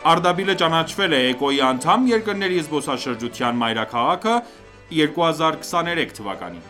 Արդաբիլը ճանաչվել է ԷԿՕ-ի անդամ երկրների զբոսաշրջության մայրաքաղաքը 2023 թվականին։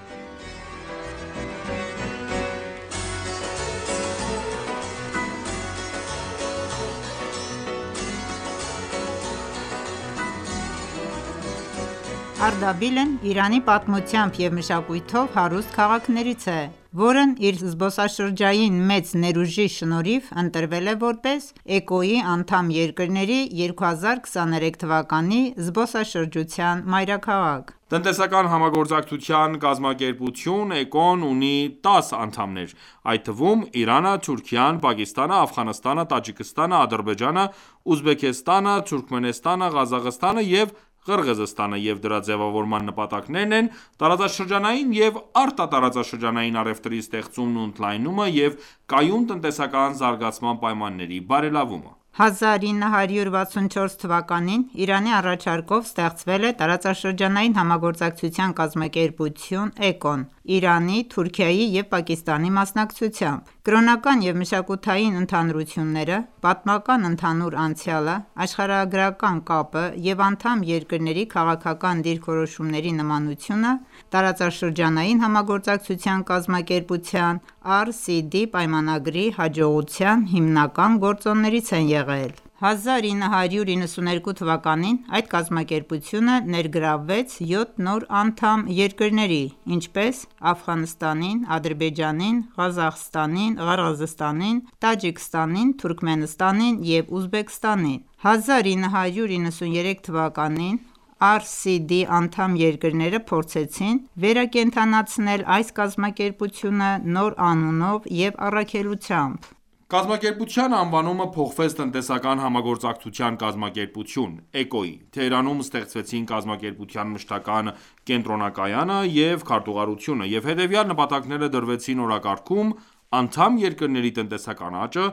Արդաբիլն Իրանի պատմությամբ և մշակույթով հարուստ քաղաքներից է, որն իր զբոսաշրջային մեծ ներուժի շնորհիվ ընտրվել է որպես ԷԿՕ-ի անդամ երկրների 2023 թվականի զբոսաշրջության մայրաքաղաք։ Տնտեսական համագործակցության կազմակերպություն ԷԿՕ-ն ունի 10 անդամներ, այդ թվում՝ Իրանը, Թուրքիան, Պակիստանը, Աֆղանստանը, Տաջիկստանը, Ադրբեջանը, Ուզբեկստանը, Թուրքմենստանը, Ղազախստանը և Ղրղըզստանը, և դրա ձևավորման նպատակներն են տարածաշրջանային և արտատարածաշրջանային առևտրի ստեղծումն ու ընդլայնումը և կայուն տնտեսական զարգացման պայմանների բարելավումը։ 1964 թվականին Իրանի առաջարկով ստեղծվել է տարածաշրջանային համագործակցության կազմակերպություն ԷԿՕ-ն՝ Իրանի, Թուրքիայի և Պակիստանի մասնակցությամբ։ Կրոնական և մշակութային ընդհանրությունները, պատմական ընդհանուր անցյալը, աշխարհագրական կապը և անդամ երկրների քաղաքական դիրքորոշումների նմանությունը տարածաշրջանային համագործակցության կազմակերպության (RCD) պայմանագրի հաջողության հիմնական գործոններից են եղել։ 1992 թվականին այդ կազմակերպությունը ներգրավվեց 7 նոր անդամ երկրների, ինչպես՝ Աֆղանստանին, Ադրբեջանին, Ղազախստանին, Ղրղըզստանին, Տաջիկստանին, Թուրքմենստանին և Ուզբեկստանին։ 1993 թվականին RCD անդամ երկրները փորձեցին վերակենդանացնել այս կազմակերպությունը նոր անունով և առաքելությամբ։ Կազմակերպության անվանումը փոխվեց Տնտեսական համագործակցության կազմակերպություն (ԷԿՕ)-ի։ Թեհրանում ստեղծվեցին կազմակերպության մշտական կենտրոնակայանը և քարտուղարությունը, և հետևյալ նպատակները դրվեցին օրակարգում՝ անդամ երկրների տնտեսական աճը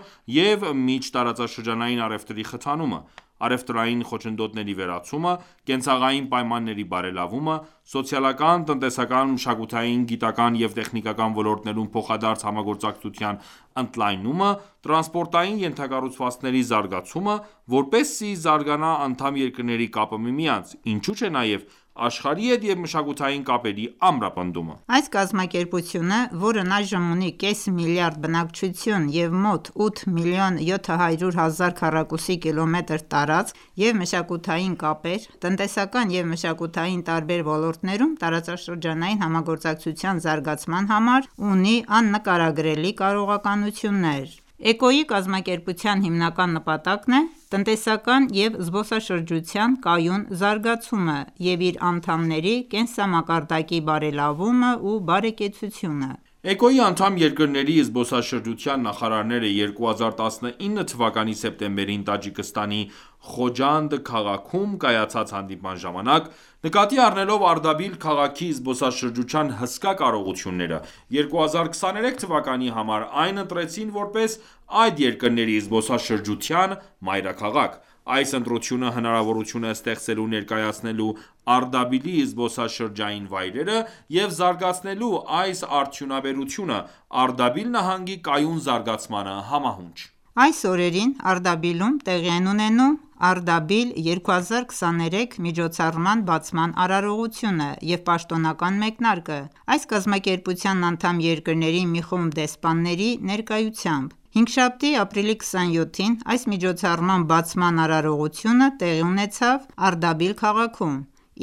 և միջտարածաշրջանային առևտրի խթանումը, առևտրային խոչընդոտների վերացումը, կենցաղային պայմանների բարելավումը, սոցիալական, տնտեսական, մշակութային, գիտական և տեխնիկական ոլորտներում փոխադարձ համագործակցության ընդլայնումը, տրանսպորտային ենթակառուցվածքների զարգացումը, որպեսզի զարգանա անդամ երկրների կապը միմյանց, ինչու չէ նաև աշխարհի հետ և մշակութային կապերի ամրապնդումը։ Այս կազմակերպությունը, որն այժմ ունի կես միլիարդ բնակչություն և մոտ 8 միլիոն 700 հազար քառակուսի կիլոմետր տարածք և մշակութային կապեր, տնտեսական և մշակութային տարբեր ոլորտներում տարածաշրջանային համագործակցության զարգացման համար ունի աննկարագրելի կարողականություններ։ ԷԿՕ-ի կազմակերպության հիմնական նպատակն է տնտեսական և զբոսաշրջության կայուն զարգացումը և իր անդամների կենսամակարդակի բարելավումը ու բարեկեցությունը։ ԷԿՕ-ի անդամ երկրների զբոսաշրջության նախարարները 2019 թվականի սեպտեմբերին Տաջիկստանի Խոջանդ քաղաքում կայացած հանդիպման ժամանակ, նկատի առնելով Արդաբիլ քաղաքի զբոսաշրջության հսկա կարողությունները, 2023 թվականի համար այն ընտրեցին որպես այդ երկրների զբոսաշրջության մայրաքաղաք։ Այս ընտրությունը հնարավորություն է ստեղծելու ներկայացնելու Արդաբիլի զբոսաշրջային վայրերը և զարգացնելու այս արդյունաբերությունը Արդաբիլ նահանգի կայուն զարգացմանը համահունչ։ Այս օրերին Արդաբիլում տեղի են ունենում «Արդաբիլ 2023» միջոցառման բացման արարողությունը և պաշտոնական մեկնարկը՝ այս կազմակերպության անդամ երկրների մի խումբ դեսպանների ներկայությամբ։ Հինգշաբթի, ապրիլի 27-ին այս միջոցառման բացման արարողությունը տեղի ունեցավ Արդաբիլ քաղաքում,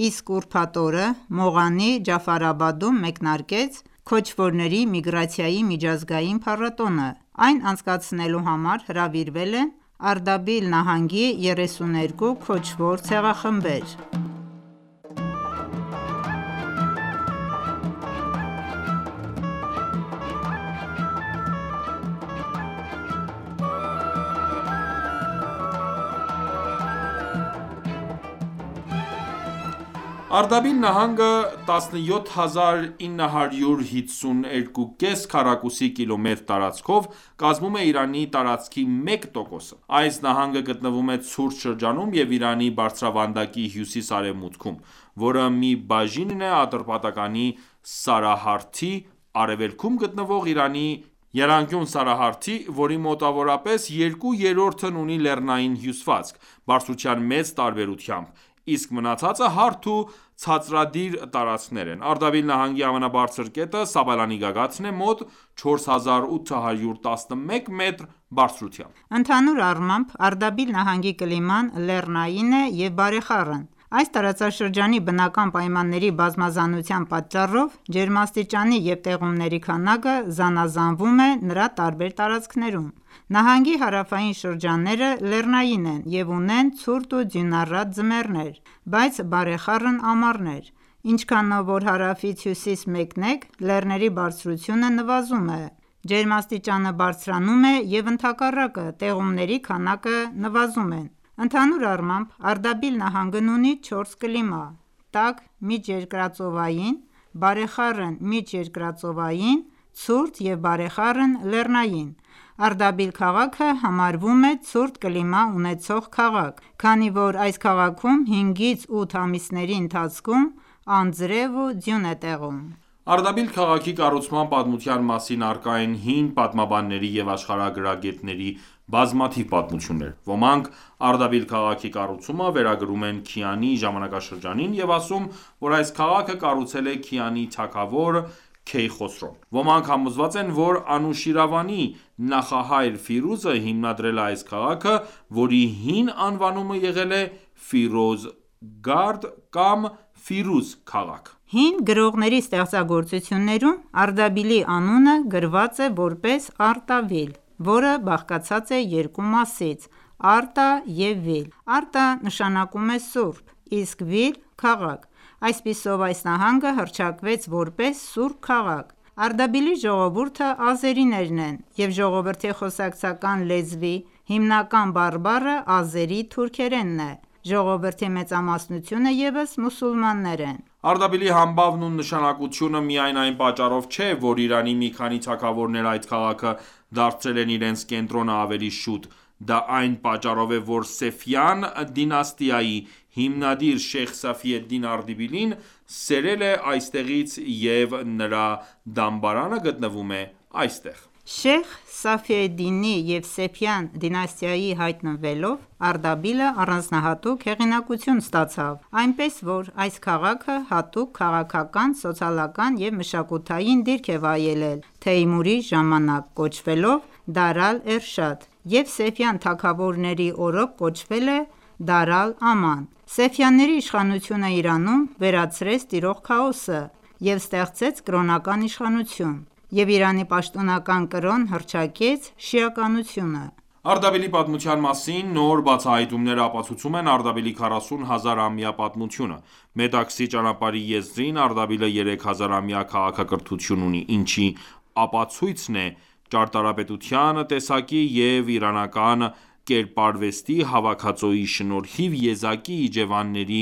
իսկ ուրբաթ օրը Մողանի Ջաֆարաբադում մեկնարկեց «Քոչվորների միգրացիայի միջազգային փառատոնը»։ Այն անցկացնելու համար հրավիրվել են Արդաբիլ նահանգի 32 քոչվոր ցեղախմբեր։ Արդաբիլ նահանգը 17952,5 քառակուսի կիլոմետր տարածքով կազմում է Իրանի տարածքի 1%-ը։ Այս նահանգը գտնվում է ցուրտ շրջանում և Իրանի բարձրավանդակի հյուսիս-արևմուտքում, որը մի բաժին է Ատրպատականի Սարահարթի, արևելքում գտնվող Իրանի եռանկյուն սարահարթի, որի մոտավորապես 2/3-ն ունի լեռնային հյուսվածք, բարձրության մեծ տարբերությամբ, իսկ մնացածը հարթ ու ցածրադիր տարածքներ են: Արդաբիլ նահանգի ամենաբարձր կետը Սաբալանի գագաթն է՝ մոտ 4811 մետր բարձրությամբ: Ընդհանուր առմամբ, Արդաբիլ նահանգի կլիման լեռնային է և բարեխառն: Այս տարածաշրջանի բնական պայմանների բազմազանության պատճառով, ջերմաստիճանի և տեղումների քանակը զանազանվում է նրա տարբեր տարածքներում: Նահանգի հարավային շրջանները լեռնային են և ունեն ցուրտ ու ձյունառատ ձմեռներ, բայց բարեխառն ամառներ: Ինչքանով որ հարավից հյուսիս մեկնեք, լեռների բարձրությունը նվազում է, ջերմաստիճանը բարձրանում է և ընդհակառակը, տեղումների քանակը նվազում են: Ընդհանուր առմամբ, Արդաբիլ նահանգն ունի 4 կլիմա՝ տաք միջերկրածովային, բարեխառն միջերկրածովային, ցուրտ և բարեխառն լեռնային: Արդաբիլ քաղաքը համարվում է ցուրտ կլիմա ունեցող քաղաք, քանի որ այս քաղաքում 5-8 ամիսների ընթացքում անձրև ու ձյուն է տեղում: Արդաբիլ քաղաքի կառուցման պատմության մասին առկա են հին պատմաբանների և աշխարհագրագետների բազմաթիվ պատմություններ: Ոմանք Արդաբիլ քաղաքի կառուցումը վերագրում են Քիանի ժամանակաշրջանին և ասում, որ այս քաղաքը կառուցել է Քիանի թագավոր Քեյխոսրոն: Ոմանք համոզված են, որ Անուշիրվանի նախահայր Ֆիրուզը հիմնադրել է այս քաղաքը, որի հին անվանումը եղել է Ֆիրոզգարդ կամ Ֆիրուզ քաղաք: Հին գրողների ստեղծագործություններում Արդաբիլի անունը գրված է որպես Արտավիլ, որը բաղկացած է երկու մասից՝ Արտա և Վիլ: Արտա նշանակում է սուրբ, իսկ Վիլ՝ քաղաք: Այսպիսով, այս նահանգը հռչակվեց որպես սուրբ քաղաք: Արդաբիլի ժողովուրդը ազերիներն են և ժողովրդի խոսակցական լեզվի հիմնական բարբառը ազերի թուրքերենն է: Ժողովրդի մեծամասնությունը ևս մուսուլմաններ են: Արդաբիլի համբավն ու նշանակությունը միայն այն պատճառով չէ, որ Իրանի մի քանի թագավորներ այդ քաղաքը դարձրել են իրենց կենտրոնը ավելի շուտ, դա այն պատճառով է, որ Սեֆյան դինաստիայի հիմնադիր Շեյխ Սաֆի ed-Դին Արդաբիլին սերել է այստեղից և նրա դամբարանը գտնվում է այստեղ: Շեյխ Սաֆիեդդինի և Սեֆյան դինաստիայի հայտնվելով, Արդաբիլը առանձնահատուկ հեղինակություն ստացավ, այնպես որ այս քաղաքը հատուկ քաղաքական, սոցիալական և մշակութային դիրք է վայելել Թեյմուրի ժամանակ, կոչվելով Դար ալ-Էրշադ և Սեֆյան թագավորների օրոք կոչվել է Դար ալ-Աման: Սեֆյանների իշխանությունը Իրանում վերացրեց տիրող քաոսը և ստեղծեց կրոնական իշխանություն և Իրանի պաշտոնական կրոն հռչակեց շիականությունը: Արդաբիլի պատմության մասին նոր բացահայտումները ապացուցում են Արդաբիլի 40 հազարամյա պատմությունը: Մետաքսի ճանապարհի եզրին Արդաբիլը 3000-ամյա քաղաքակրթություն ունի, ինչի ապացույցն է ճարտարապետության տեսակի և իրանական կերպարվեստի հավաքածուի շնորհիվ եզակի իջևանների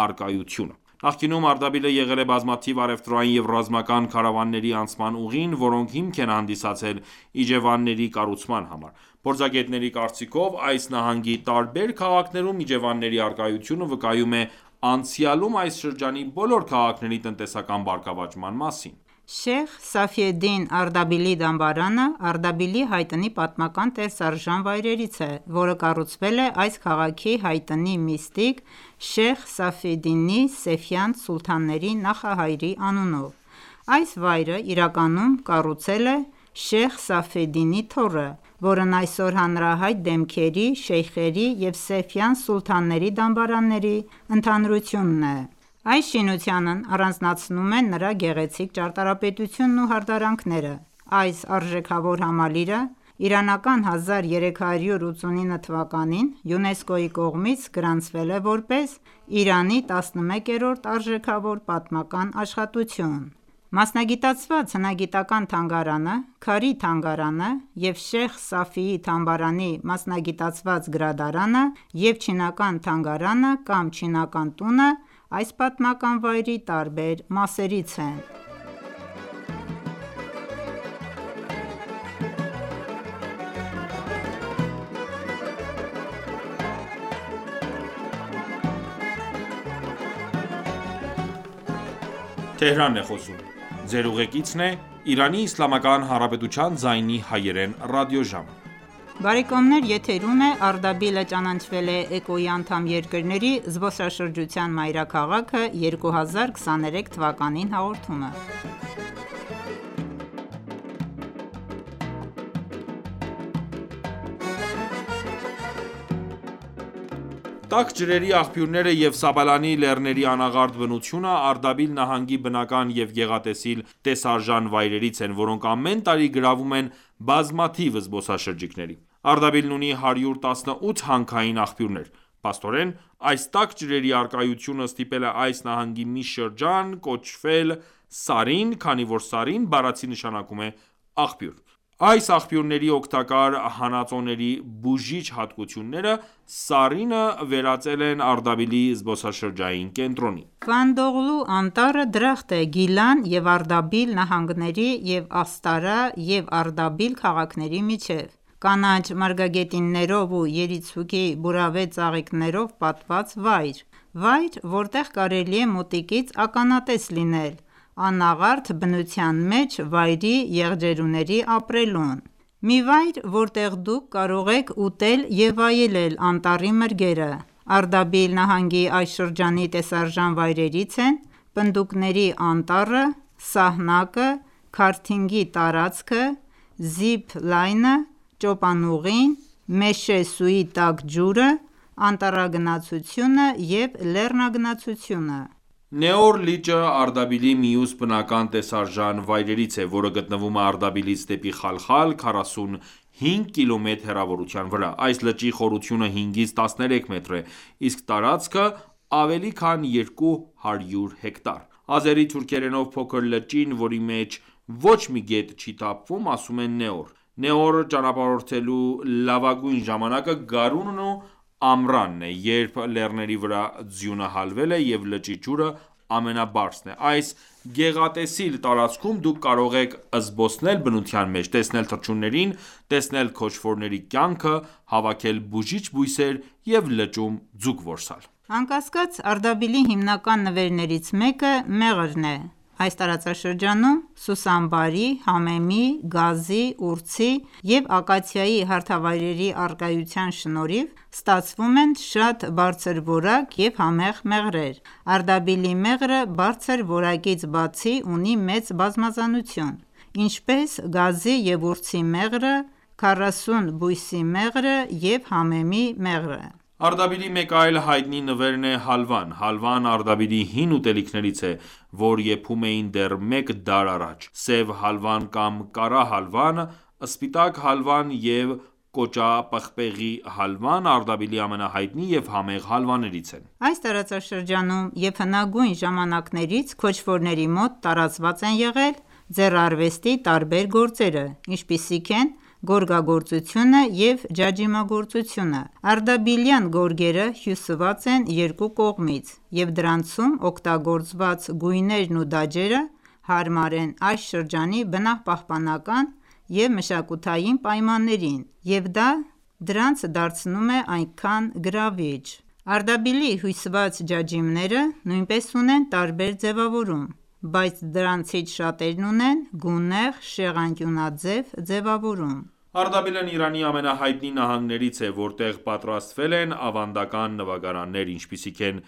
առկայությունը: Նախկինում Արդաբիլը եղել է բազմաթիվ առևտրային և ռազմական քարավանների անցման ուղին, որոնք հիմք են հանդիսացել իջևանների կառուցման համար: Փորձագետների կարծիքով, այս նահանգի տարբեր քաղաքներում իջևանների առկայությունը վկայում է անցյալում այս շրջանի բոլոր քաղաքների տնտեսական բարգավաճման մասին: Շեյխ Սաֆիեդդին Արդաբիլի դամբարանը Արդաբիլի հայտնի պատմական տեսարժան վայրերից է, որը կառուցվել է այս քաղաքի հայտնի միստիկ Շեյխ Սաֆիեդդինի Սեֆյան սուլթանների նախահայրի անունով: Այս վայրը իրականում կառուցել է Շեյխ Սաֆիեդդինի թոռը, որն այսօր հանրահայտ դեմքերի, շեյխերի և Սեֆյան սուլթանների դամբարանների ընդհանրությունն է: Այս շինությանն առանձնացնում են նրա գեղեցիկ ճարտարապետությունն ու հարդարանքները: Այս արժեքավոր համալիրը իրանական 1389 թվականին ՅՈՒՆԵՍԿՕ-ի կողմից գրանցվել է որպես Իրանի 11-րդ արժեքավոր պատմական աշխատություն: Մասնագիտացված հնագիտական թանգարանը, Քարի թանգարանը և Շեյխ Սաֆիի թամբարանի մասնագիտացված գրադարանը և Չինական թանգարանը կամ Չինական տունը այս պատմական վայրի տարբեր մասերից են: Իրանի Իսլամական Հանրապետության ձայնի հայերեն ռադիոժամ։ Բարեկամներ, եթերում է Արդաբիլը ճանաչվել է ԷԿՕ-ի անդամ երկրների զբոսաշրջության մայրաքաղաքը 2023 թվականին հաղորդումը։ Տաք ջրերի աղբյուրները և Սաբալանի լեռների անաղարտ բնությունը Արդաբիլ նահանգի բնական և գեղատեսիլ տեսարժան վայրերից են, որոնք ամեն տարի գրավում են բազմաթիվ զբոսաշրջիկների։ Արդաբիլն ունի 118 հանքային աղբյուրներ։ Փաստորեն, այս տաք ջրերի առկայությունը ստիպել է այս նահանգի մի շրջան կոչվել Սարին, քանի որ Սարին բառացի նշանակում է աղբյուր։ Այս աղբյուրների օգտակար հանածոների բուժիչ հատկությունները Սարինը վերածել են Արդաբիլի զբոսաշրջային կենտրոնի։ Վանդողլու անտառը դրախտ է Գիլան և Արդաբիլ նահանգների և Աստարա և Արդաբիլ քաղաքների միջև։ Կանաչ մարգագետիններով ու երիցուկի բուրավե ծաղիկներով պատված վայր, որտեղ կարելի է մոտիկից ականատես լինել անաղարտ բնության մեջ վայրի եղջերուների ապրելուն։ Մի վայր, որտեղ դուք կարող եք ուտել և վայելել անտառի մրգերը։ Արդաբիլ նահանգի այս շրջանի տեսարժան վայրերից են Պնդուկների անտառը, Սահնակը, քարթինգի տարածքը, Զիփ լայնը, Ճոպանուղին, Մեշե Սուի տաք ջուրը, անտառագնացությունը և լեռնագնացությունը։ Նեոր լիճը Արդաբիլի մյուս բնական տեսարժան վայրերից է, որը գտնվում է Արդաբիլից դեպի Խալխալ 45 կմ հեռավորության վրա։ Այս լճի խորությունը 5-ից 13 մետր է, իսկ տարածքը ավելի քան 200 հեկտար։ Ազերի թուրքերենով փոքր լճին, որի մեջ ոչ մի գետ չի թափվում, ասում են Նեոր։ Նեոր ճանապարհորդելու լավագույն ժամանակը գարունն ու ամռանն է, երբ լեռների վրա ձյունը հալվել է և լճի ջուրը ամենաբարձրն է։ Այս գեղատեսիլ տարածքում դուք կարող եք զբոսնել բնության մեջ, տեսնել թռչուններին, տեսնել քոչվորների կյանքը, հավաքել բուժիչ բույսեր և լճում ձուկ որսալ։ Անկասկած, Արդաբիլի հիմնական նվերներից մեկը մեղրն է։ Այս տարածաշրջանում Սուսանբարի, Համեմի, Գազի, Ուրցի և Ակացիայի հարթավայրերի առկայության շնորհիվ ստացվում են շատ բարձրորակ և համեղ մեղրեր։ Արդաբիլի մեղրը բարձր որակից բացի ունի մեծ բազմազանություն, ինչպես Գազի և Ուրցի մեղրը, 40 բույսի մեղրը և Համեմի մեղրը։ Արդաբիլի մեկ այլ հայտնի նվերն է հալվան։ Հալվան Արդաբիլի հին ուտելիքներից է, որ եփում էին դեռ մեկ դար առաջ։ Սև հալվան կամ կարա հալվան, սպիտակ հալվան և կոճապղպեղի հալվան Արդաբիլի ամենահայտնի և համեղ հալվաներից են։ Այս տարածաշրջանում և հնագույն ժամանակներից քոչվորների մոտ տարածված են եղել ձեռարվեստի տարբեր գործերը, ինչպիսիք են գորգագործությունը և ջաջիմագործությունը։ Արդաբիլյան գորգերը հյուսված են երկու կողմից, և դրանցում օգտագործված գույներն ու դաջերը հարմար են այս շրջանի բնապահպանական և մշակութային պայմաններին, և դա դրանց դարձնում է այնքան գրավիչ։ Արդաբիլի հյուսված ջաջիմները նույնպես ունեն տարբեր ձևավորում, բայց դրանցից շատերն ունեն գունեղ շեղանկյունաձև ձևավորում։ Արդաբիլն Իրանի ամենահայտնի նահանգներից է, որտեղ պատրաստվել են ավանդական նվագարաններ, ինչպիսիք են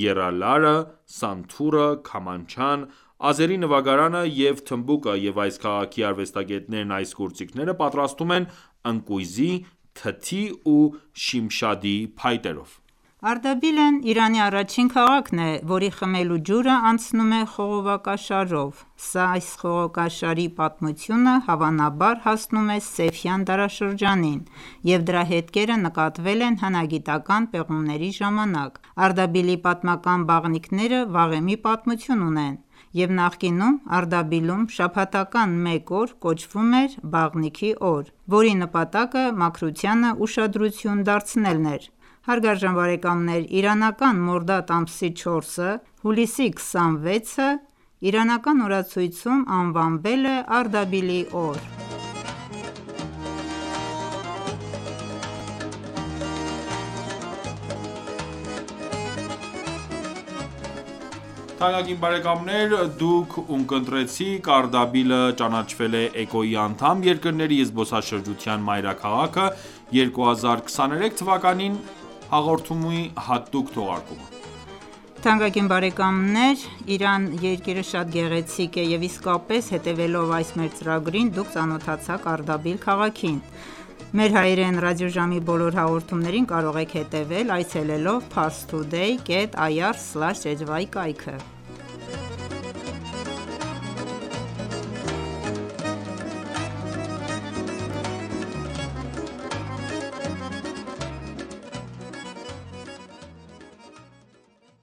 եռալարը, սանթուրը, քամանչան, ազերի նվագարանը և թմբուկը, և այս քաղաքի արվեստագետներն այս գործիքները պատրաստում են ընկույզի, թթի ու շիմշադի փայտերով։ Արդաբիլն Իրանի առաջին քաղաքն է, որի խմելու ջուրը անցնում է խողովակաշարով։ Այս խողովակաշարի պատմությունը հավանաբար հասնում է Սեֆյան դարաշրջանին, և դրա հետքերը նկատվել են հնագիտական պեղումների ժամանակ։ Արդաբիլի պատմական բաղնիքները վաղեմի պատմություն ունեն, և նախկինում Արդաբիլում շաբաթական մեկ օր կոչվում էր Բաղնիքի օր, որի նպատակը մաքրությանը ուշադրություն դարձնելն էր։ Հարգարժան բարեկամներ, իրանական մորդադ ամսի 4-ը, հուլիսի 26-ը իրանական օրացույցում անվանվել է Արդաբիլի օր։ Թանկագին բարեկամներ, դուք ունկնդրեցիք Արդաբիլը ճանաչվել է ECO-ի անդամ երկրների զբոսաշրջության մայրաքաղաքը 2023 թվականին հաղորդումի հատուկ թողարկումը։ Թանկագին բարեկամներ, Իրան երկիրը շատ գեղեցիկ է և իսկապես հետևելով այս մեր ծրագրին դուք ծանոթացաք Արդաբիլ քաղաքին։ Մեր հայերեն ռադիոժամի բոլոր հաղորդումներին կարող եք հետևել այցելելով parstoday.ir/ajwy կայքը։